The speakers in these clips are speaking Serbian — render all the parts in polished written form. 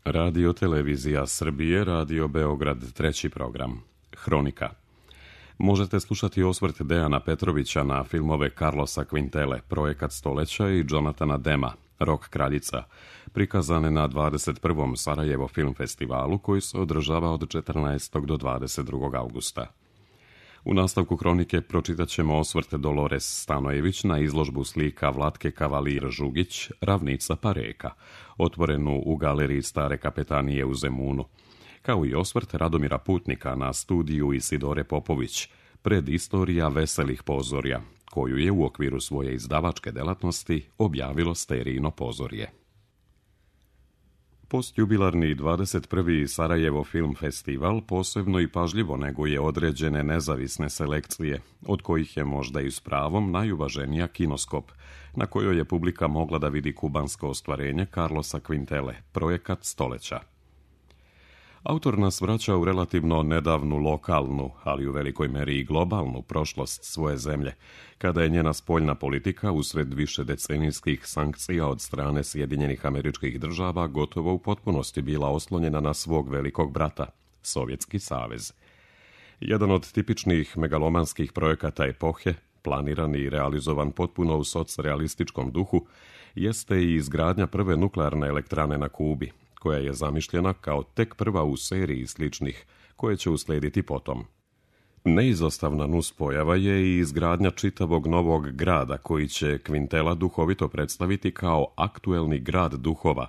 Radio Televizija Srbije, Radio Beograd, treći program. Hronika. Možete slušati osvrt Dejana Petrovića na filmove Carlosa Quintele, Projekat stoleća i Jonathana Dema, Rok kraljica, prikazane na 21. Sarajevo film festivalu koji se održava od 14. do 22. augusta. U nastavku hronike pročitat ćemo osvrt Dolores Stanojević na izložbu slika Vlatke Kavalir Žugić, Ravnica pa reka, otvorenu u galeriji Stare kapetanije u Zemunu, kao i osvrt Radomira Putnika na studiju Isidore Popović, Predistorija veselih pozorja, koju je u okviru svoje izdavačke delatnosti objavilo Sterijino pozorje. Postjubilarni 21. Sarajevo film festival posebno i pažljivo neguje određene nezavisne selekcije, od kojih je možda i s pravom najuvaženija Kinoskop, na kojoj je publika mogla da vidi kubansko ostvarenje Carlosa Quintele, Projekat stoleća. Autor nas vraća u relativno nedavnu lokalnu, ali u velikoj meri i globalnu prošlost svoje zemlje, kada je njena spoljna politika usred višedecenijskih sankcija od strane Sjedinjenih Američkih Država gotovo u potpunosti bila oslonjena na svog velikog brata, Sovjetski savez. Jedan od tipičnih megalomanskih projekata epohe, planiran i realizovan potpuno u socrealističkom duhu, jeste i izgradnja prve nuklearne elektrane na Kubi, koja je zamišljena kao tek prva u seriji sličnih, koje će uslijediti potom. Neizostavna nuspojava je i izgradnja čitavog novog grada, koji će Quintela duhovito predstaviti kao aktuelni grad duhova,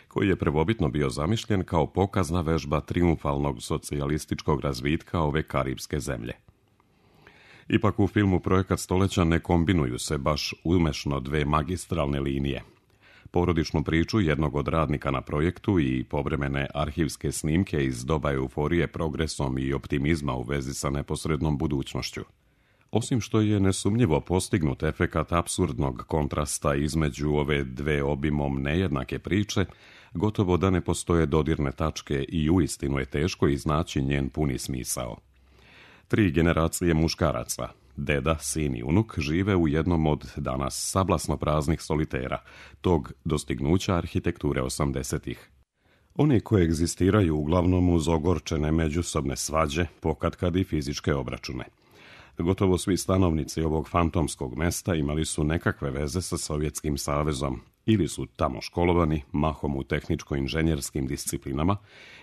koji je prvobitno bio zamišljen kao pokazna vežba triumfalnog socijalističkog razvitka ove karibske zemlje. Ipak u filmu Projekat stoleća ne kombinuju se baš umešno dve magistralne linije. Porodičnu priču jednog od radnika na projektu i povremene arhivske snimke iz doba euforije progresom i optimizma u vezi sa neposrednom budućnošću. Osim što je nesumnjivo postignut efekat apsurdnog kontrasta između ove dve obimom nejednake priče, gotovo da ne postoje dodirne tačke i uistinu je teško iznaći njen puni smisao. 3 generacije muškaraca, deda, sin i unuk, žive u jednom od danas sablasno praznih solitera, tog dostignuća arhitekture 80-ih. Oni koegzistiraju uglavnom uz ogorčene međusobne svađe, pokatkad i fizičke obračune. Gotovo svi stanovnici ovog fantomskog mesta imali su nekakve veze sa Sovjetskim savezom, ili su tamo školovani, mahom u tehničko-inženjerskim disciplinama,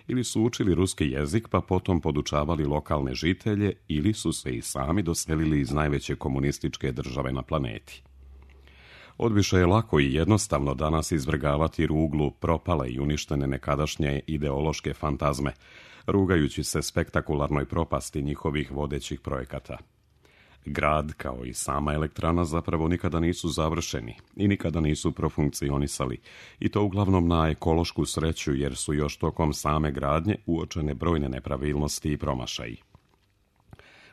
ili su učili ruski jezik pa potom podučavali lokalne žitelje, ili su se i sami doselili iz najveće komunističke države na planeti. Odviše je lako i jednostavno danas izvrgavati ruglu propale i uništene nekadašnje ideološke fantazme, rugajući se spektakularnoj propasti njihovih vodećih projekata. Grad, kao i sama elektrana, zapravo nikada nisu završeni i nikada nisu profunkcionisali, i to uglavnom na ekološku sreću, jer su još tokom same gradnje uočene brojne nepravilnosti i promašaji.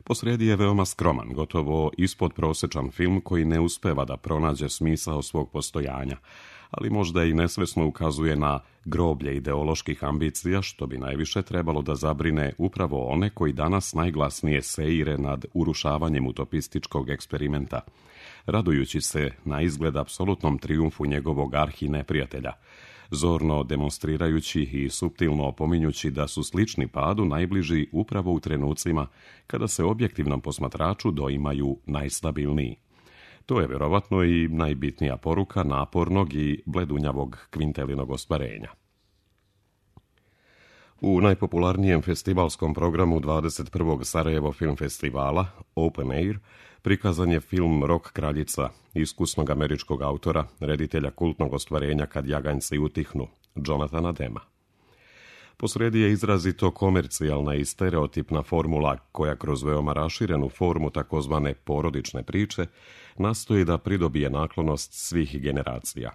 Posrijedi je veoma skroman, gotovo ispodprosečan film koji ne uspeva da pronađe smisao svog postojanja, ali možda i nesvesno ukazuje na groblje ideoloških ambicija, što bi najviše trebalo da zabrine upravo one koji danas najglasnije seire nad urušavanjem utopističkog eksperimenta, radujući se na izgled apsolutnom trijumfu njegovog arhineprijatelja, zorno demonstrirajući i suptilno opominjući da su slični padu najbliži upravo u trenucima kada se objektivnom posmatraču doimaju najstabilniji. To je vjerovatno i najbitnija poruka napornog i bledunjavog Quintelinog ostvarenja. U najpopularnijem festivalskom programu 21. Sarajevo film festivala, Open Air, prikazan je film Rok kraljica, iskusnog američkog autora, reditelja kultnog ostvarenja Kad jaganjci utihnu, Jonathana Dema. Posrijedi je izrazito komercijalna i stereotipna formula koja kroz veoma raširenu formu takozvane porodične priče nastoji da pridobije naklonost svih generacija.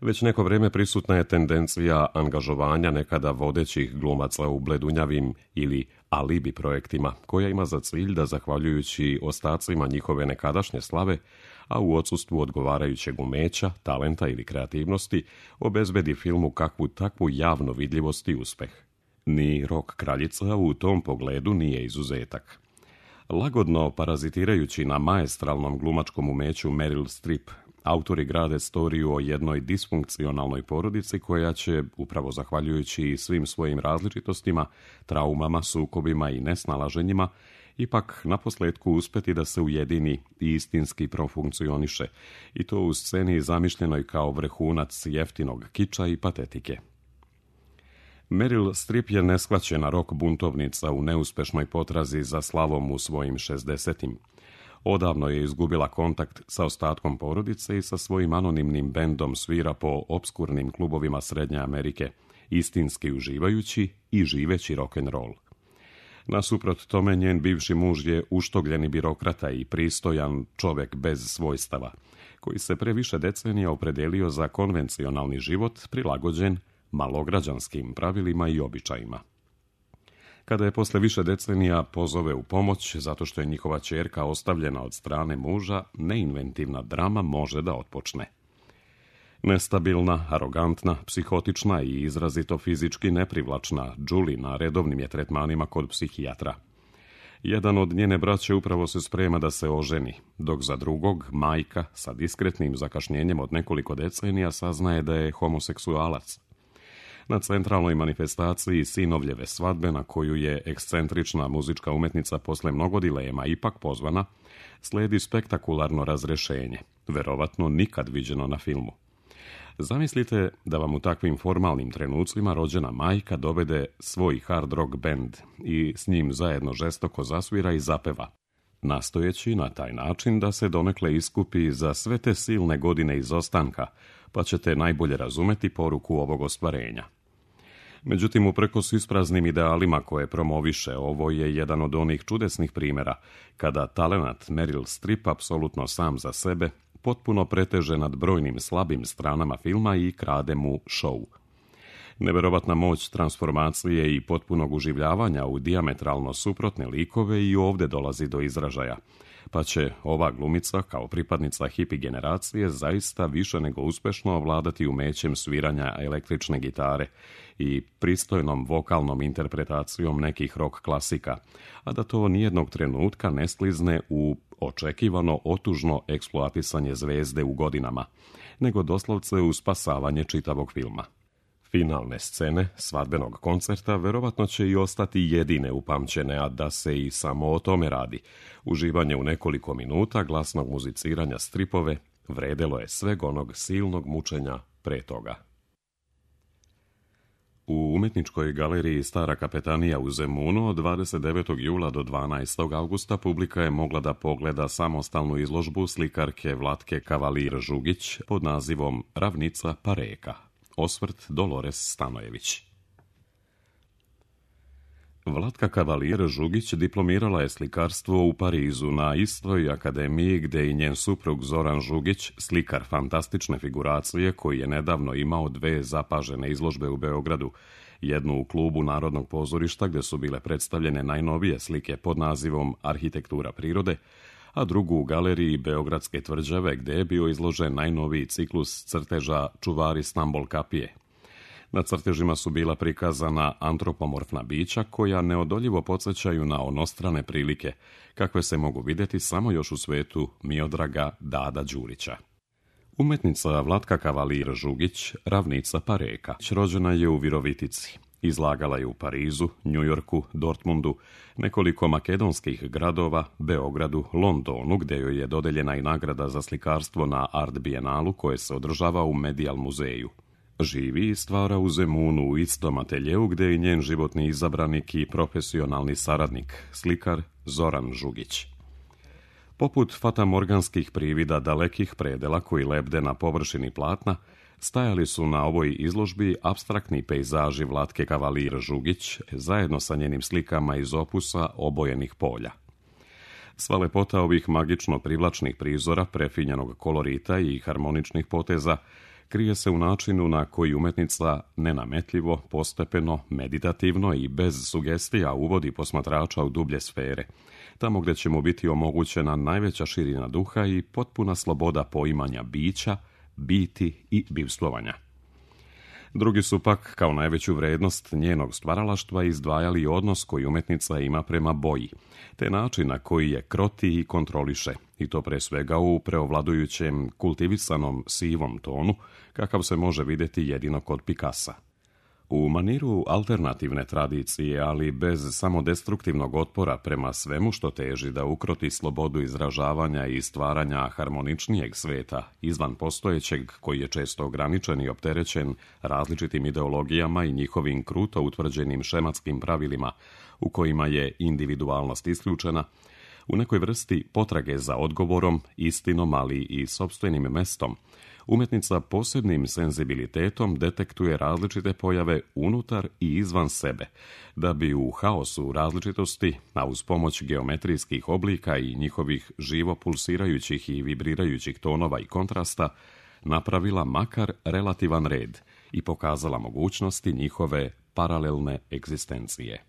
Već neko vrijeme prisutna je tendencija angažovanja nekada vodećih glumaca u bledunjavim ili alibi projektima, koja ima za cilj da, zahvaljujući ostacima njihove nekadašnje slave, a u odsustvu odgovarajućeg umeća, talenta ili kreativnosti, obezbedi filmu kakvu takvu javnu vidljivost i uspeh. Ni Rok kraljica u tom pogledu nije izuzetak. Lagodno parazitirajući na maestralnom glumačkom umeću Meryl Streep, autori grade storiju o jednoj disfunkcionalnoj porodici koja će, upravo zahvaljujući svim svojim različitostima, traumama, sukobima i nesnalaženjima, ipak naposljetku uspjeti da se ujedini i istinski profunkcioniše, i to u sceni zamišljenoj kao vrhunac jeftinog kiča i patetike. Meryl Streep je neshvaćena rock buntovnica u neuspešnoj potrazi za slavom u svojim 60-im. Odavno je izgubila kontakt sa ostatkom porodice i sa svojim anonimnim bendom svira po opskurnim klubovima Srednje Amerike, istinski uživajući i živeći rock'n'roll. Nasuprot tome, njen bivši muž je uštogljeni birokrata i pristojan čovjek bez svojstava, koji se pre više decenija opredelio za konvencionalni život prilagođen malograđanskim pravilima i običajima. Kada je posle više decenija pozove u pomoć zato što je njihova ćerka ostavljena od strane muža, neinventivna drama može da otpočne. Nestabilna, arogantna, psihotična i izrazito fizički neprivlačna, Julie na redovnim je tretmanima kod psihijatra. Jedan od njene braće upravo se sprema da se oženi, dok za drugog, majka, sa diskretnim zakašnjenjem od nekoliko decenija saznaje da je homoseksualac. Na centralnoj manifestaciji sinovljeve svadbe, na koju je ekscentrična muzička umetnica posle mnogo dilema ipak pozvana, sledi spektakularno razrešenje, verovatno nikad viđeno na filmu. Zamislite da vam u takvim formalnim trenucima rođena majka dovede svoj hard rock band i s njim zajedno žestoko zasvira i zapeva, nastojeći na taj način da se donekle iskupi za sve te silne godine izostanka, pa ćete najbolje razumeti poruku ovog ostvarenja. Međutim, uprkos ispraznim idealima koje promoviše, ovo je jedan od onih čudesnih primjera kada talenat Meryl Streep apsolutno sam za sebe potpuno preteže nad brojnim slabim stranama filma i krade mu show. Neverovatna moć transformacije i potpunog uživljavanja u dijametralno suprotne likove i ovdje dolazi do izražaja, pa će ova glumica kao pripadnica hipi generacije zaista više nego uspešno ovladati umećem sviranja električne gitare i pristojnom vokalnom interpretacijom nekih rock klasika, a da to nijednog trenutka ne sklizne u očekivano otužno eksploatisanje zvezde u godinama, nego doslovce u spasavanje čitavog filma. Finalne scene svadbenog koncerta verovatno će i ostati jedine upamćene, a da se i samo o tome radi. Uživanje u nekoliko minuta glasnog muziciranja Stripove vredelo je sveg onog silnog mučenja pre toga. U umetničkoj galeriji Stara kapetanija u Zemunu od 29. jula do 12. augusta publika je mogla da pogleda samostalnu izložbu slikarke Vlatke Kavalir-Žugić pod nazivom Ravnica pa reka. Osvrt Dolores Stanojević. Vlatka Kavalir-Žugić diplomirala je slikarstvo u Parizu na istoj akademiji gde i njen suprug Zoran Žugić, slikar fantastične figuracije koji je nedavno imao 2 zapažene izložbe u Beogradu, jednu u klubu Narodnog pozorišta gde su bile predstavljene najnovije slike pod nazivom Arhitektura prirode, a drugu u galeriji Beogradske tvrđave gde je bio izložen najnoviji ciklus crteža Čuvari Stambol kapije. Na crtežima su bila prikazana antropomorfna bića koja neodoljivo podsjećaju na onostrane prilike, kakve se mogu vidjeti samo još u svetu Miodraga Dada Đurića. Umetnica Vlatka Kavalir-Žugić, Ravnica pa reka, rođena je u Virovitici. Izlagala je u Parizu, Njujorku, Dortmundu, nekoliko makedonskih gradova, Beogradu, Londonu, gde joj je dodeljena i nagrada za slikarstvo na Art Bienalu koje se održava u Medial muzeju. Živi i stvara u Zemunu u istom ateljeu gde je njen životni izabranik i profesionalni saradnik, slikar Zoran Žugić. Poput fatamorganskih privida dalekih predela koji lebde na površini platna, stajali su na ovoj izložbi apstraktni pejzaži Vlatke Kavalir-Žugić zajedno sa njenim slikama iz opusa Obojenih polja. Sva lepota ovih magično privlačnih prizora, prefinjenog kolorita i harmoničnih poteza krije se u načinu na koji umetnica nenametljivo, postepeno, meditativno i bez sugestija uvodi posmatrača u dublje sfere, tamo gdje će mu biti omogućena najveća širina duha i potpuna sloboda poimanja bića, biti i bivstvovanja. Drugi su pak, kao najveću vrednost njenog stvaralaštva, izdvajali odnos koji umjetnica ima prema boji, te način na koji je kroti i kontroliše, i to pre svega u preovladujućem kultivisanom sivom tonu, kakav se može vidjeti jedino kod Picassa. U maniru alternativne tradicije, ali bez samodestruktivnog otpora prema svemu što teži da ukroti slobodu izražavanja i stvaranja harmoničnijeg sveta, izvan postojećeg, koji je često ograničen i opterećen različitim ideologijama i njihovim kruto utvrđenim šematskim pravilima, u kojima je individualnost isključena, u nekoj vrsti potrage za odgovorom, istinom, ali i sopstvenim mestom, umjetnica posebnim senzibilitetom detektuje različite pojave unutar i izvan sebe, da bi u haosu različitosti, a uz pomoć geometrijskih oblika i njihovih živo pulsirajućih i vibrirajućih tonova i kontrasta, napravila makar relativan red i pokazala mogućnosti njihove paralelne egzistencije.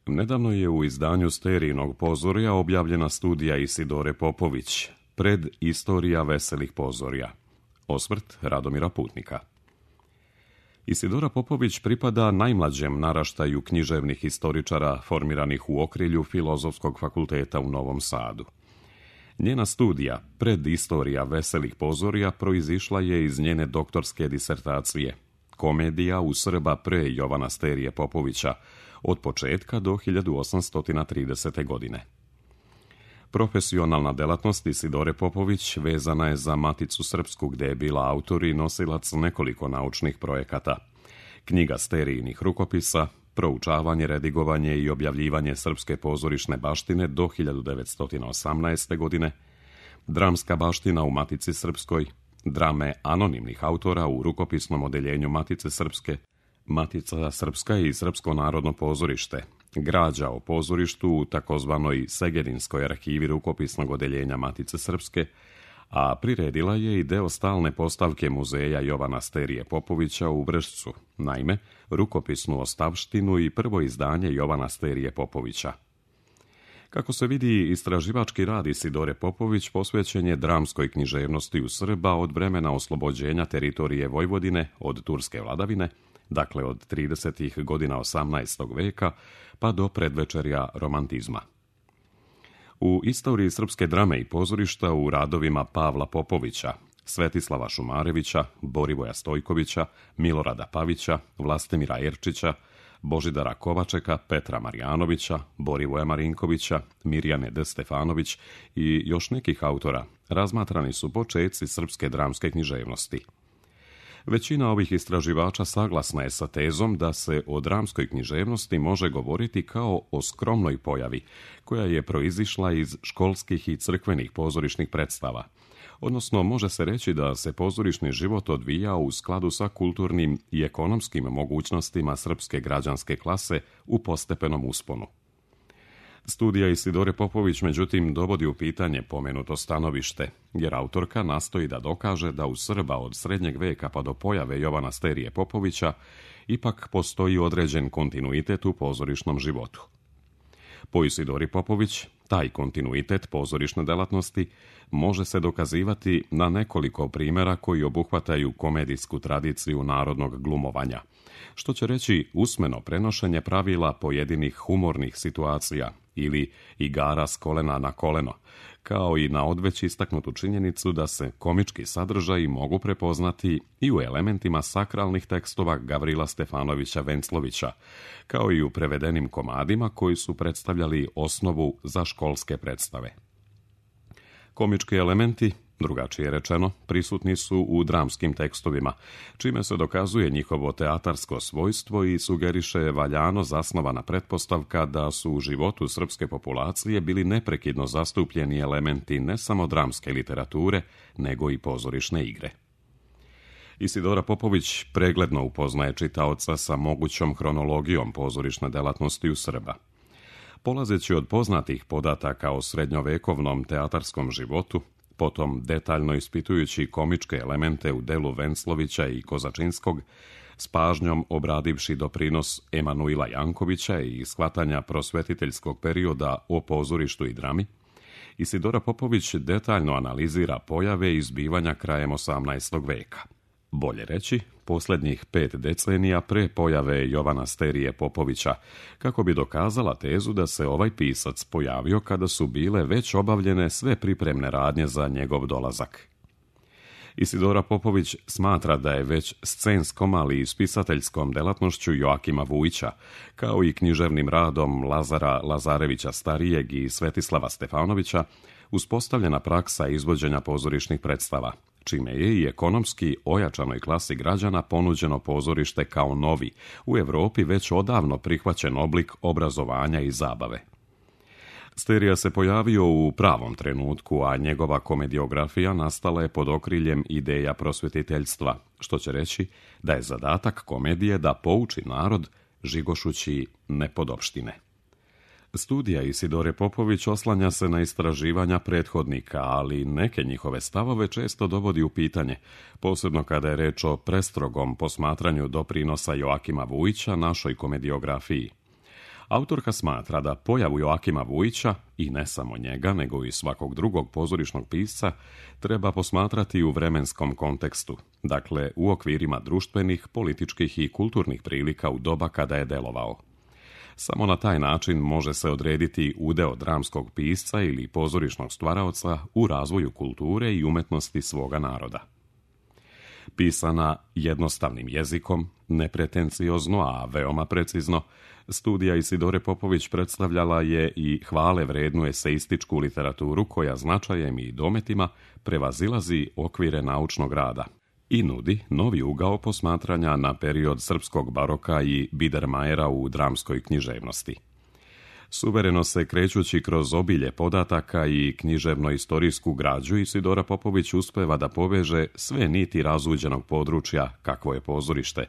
Nedavno je u izdanju Sterijinog pozorja objavljena studija Isidore Popović, Predistorija veselih pozorja. Osvrt Radomira Putnika. Isidora Popović pripada najmlađem naraštaju književnih historičara formiranih u okrilju Filozofskog fakulteta u Novom Sadu. Njena studija, Predistorija veselih pozorja, proizišla je iz njene doktorske disertacije, Komedija u Srba pre Jovana Sterije Popovića, od početka do 1830. godine. Profesionalna delatnost Isidore Popović vezana je za Maticu srpsku, gde je bila autor i nosilac nekoliko naučnih projekata. Knjiga Sterijinih rukopisa, proučavanje, redigovanje i objavljivanje srpske pozorišne baštine do 1918. godine, dramska baština u Matici srpskoj, drame anonimnih autora u rukopisnom odeljenju Matice srpske, Matica srpska i Srpsko narodno pozorište, građa o pozorištu u takozvanoj Segedinskoj arhivi rukopisnog odeljenja Matice srpske, a priredila je i deo stalne postavke muzeja Jovana Sterije Popovića u Vršcu, naime, rukopisnu ostavštinu i prvo izdanje Jovana Sterije Popovića. Kako se vidi, istraživački rad Isidore Popović posvećen je dramskoj književnosti u Srba od vremena oslobođenja teritorije Vojvodine od turske vladavine, dakle od 30. godina 18. veka pa do predvečerja romantizma. U istoriji srpske drame i pozorišta u radovima Pavla Popovića, Svetislava Šumarevića, Borivoja Stojkovića, Milorada Pavića, Vlastimira Erčića, Božidara Kovačeka, Petra Marjanovića, Borivoja Marinkovića, Mirjane D. Stefanović i još nekih autora razmatrani su počeci srpske dramske književnosti. Većina ovih istraživača saglasna je sa tezom da se o dramskoj književnosti može govoriti kao o skromnoj pojavi, koja je proizišla iz školskih i crkvenih pozorišnih predstava. Odnosno, može se reći da se pozorišni život odvijao u skladu sa kulturnim i ekonomskim mogućnostima srpske građanske klase u postepenom usponu. Studija Isidore Popović, međutim, dovodi u pitanje pomenuto stanovište, jer autorka nastoji da dokaže da u Srba od srednjeg veka pa do pojave Jovana Sterije Popovića ipak postoji određen kontinuitet u pozorišnom životu. Po Isidori Popović, taj kontinuitet pozorišne delatnosti može se dokazivati na nekoliko primjera koji obuhvataju komedijsku tradiciju narodnog glumovanja, što će reći usmeno prenošenje pravila pojedinih humornih situacija ili igara s kolena na koleno, kao i na odveć istaknutu činjenicu da se komički sadržaji mogu prepoznati i u elementima sakralnih tekstova Gavrila Stefanovića Venclovića, kao i u prevedenim komadima koji su predstavljali osnovu za školske predstave. Komički elementi, drugačije rečeno, prisutni su u dramskim tekstovima, čime se dokazuje njihovo teatarsko svojstvo i sugeriše valjano zasnovana pretpostavka da su u životu srpske populacije bili neprekidno zastupljeni elementi ne samo dramske literature, nego i pozorišne igre. Isidora Popović pregledno upoznaje čitaoca sa mogućom hronologijom pozorišne delatnosti u Srba. Polazeći od poznatih podataka o srednjovekovnom teatarskom životu, potom detaljno ispitujući komičke elemente u delu Venclovića i Kozačinskog, s pažnjom obradivši doprinos Emanuila Jankovića i shvatanja prosvetiteljskog perioda o pozorištu i drami, Isidora Popović detaljno analizira pojave i zbivanja krajem 18. veka. bolje reći, posljednjih 5 decenija pre pojave Jovana Sterije Popovića, kako bi dokazala tezu da se ovaj pisac pojavio kada su bile već obavljene sve pripremne radnje za njegov dolazak. Isidora Popović smatra da je već scenskom, ali i spisateljskom delatnošću Joakima Vujića, kao i književnim radom Lazara Lazarevića Starijeg i Svetislava Stefanovića, uspostavljena praksa izvođenja pozorišnih predstava, čime je i ekonomski ojačanoj klasi građana ponuđeno pozorište kao novi, u Europi već odavno prihvaćen oblik obrazovanja i zabave. Sterija se pojavio u pravom trenutku, a njegova komediografija nastala je pod okriljem ideja prosvjetiteljstva, što će reći da je zadatak komedije da pouči narod žigošući nepodopštine. Studija Isidore Popović oslanja se na istraživanja prethodnika, ali neke njihove stavove često dovodi u pitanje, posebno kada je reč o prestrogom posmatranju doprinosa Joakima Vujića našoj komediografiji. Autorka smatra da pojavu Joakima Vujića, i ne samo njega, nego i svakog drugog pozorišnog pisca, treba posmatrati u vremenskom kontekstu, dakle u okvirima društvenih, političkih i kulturnih prilika u doba kada je delovao. Samo na taj način može se odrediti udeo dramskog pisca ili pozorišnog stvaraoca u razvoju kulture i umetnosti svoga naroda. Pisana jednostavnim jezikom, nepretenciozno, a veoma precizno, studija Isidore Popović predstavljala je i hvale vrednu eseističku literaturu koja značajem i dometima prevazilazi okvire naučnog rada i nudi novi ugao posmatranja na period srpskog baroka i Biedermajera u dramskoj književnosti. Suvereno se krećući kroz obilje podataka i književno-istorijsku građu, Isidora Popović uspeva da poveže sve niti razuđenog područja kakvo je pozorište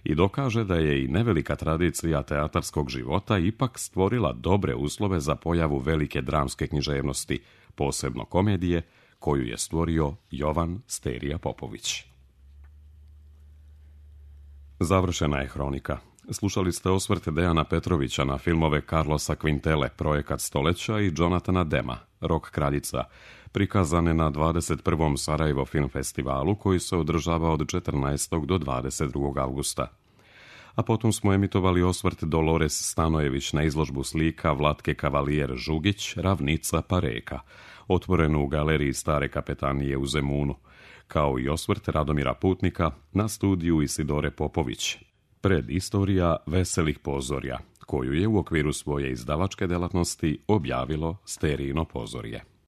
i dokaže da je i nevelika tradicija teatarskog života ipak stvorila dobre uslove za pojavu velike dramske književnosti, posebno komedije, koju je stvorio Jovan Sterija Popović. Završena je hronika. Slušali ste osvrt Dejana Petrovića na filmove Carlosa Quintele, Projekat stoljeća, i Jonathana Dema, Rok kraljica, prikazane na 21. Sarajevo film festivalu koji se održava od 14. do 22. augusta. A potom smo emitovali osvrt Dolores Stanojević na izložbu slika Vlatke Kavalijer Žugić, Ravnica pa reka, otvorenu u galeriji Stare kapetanije u Zemunu, kao i osvrt Radomira Putnika na studiju Isidore Popović, Predistorija veselih pozorja, koju je u okviru svoje izdavačke delatnosti objavilo Sterijino pozorje.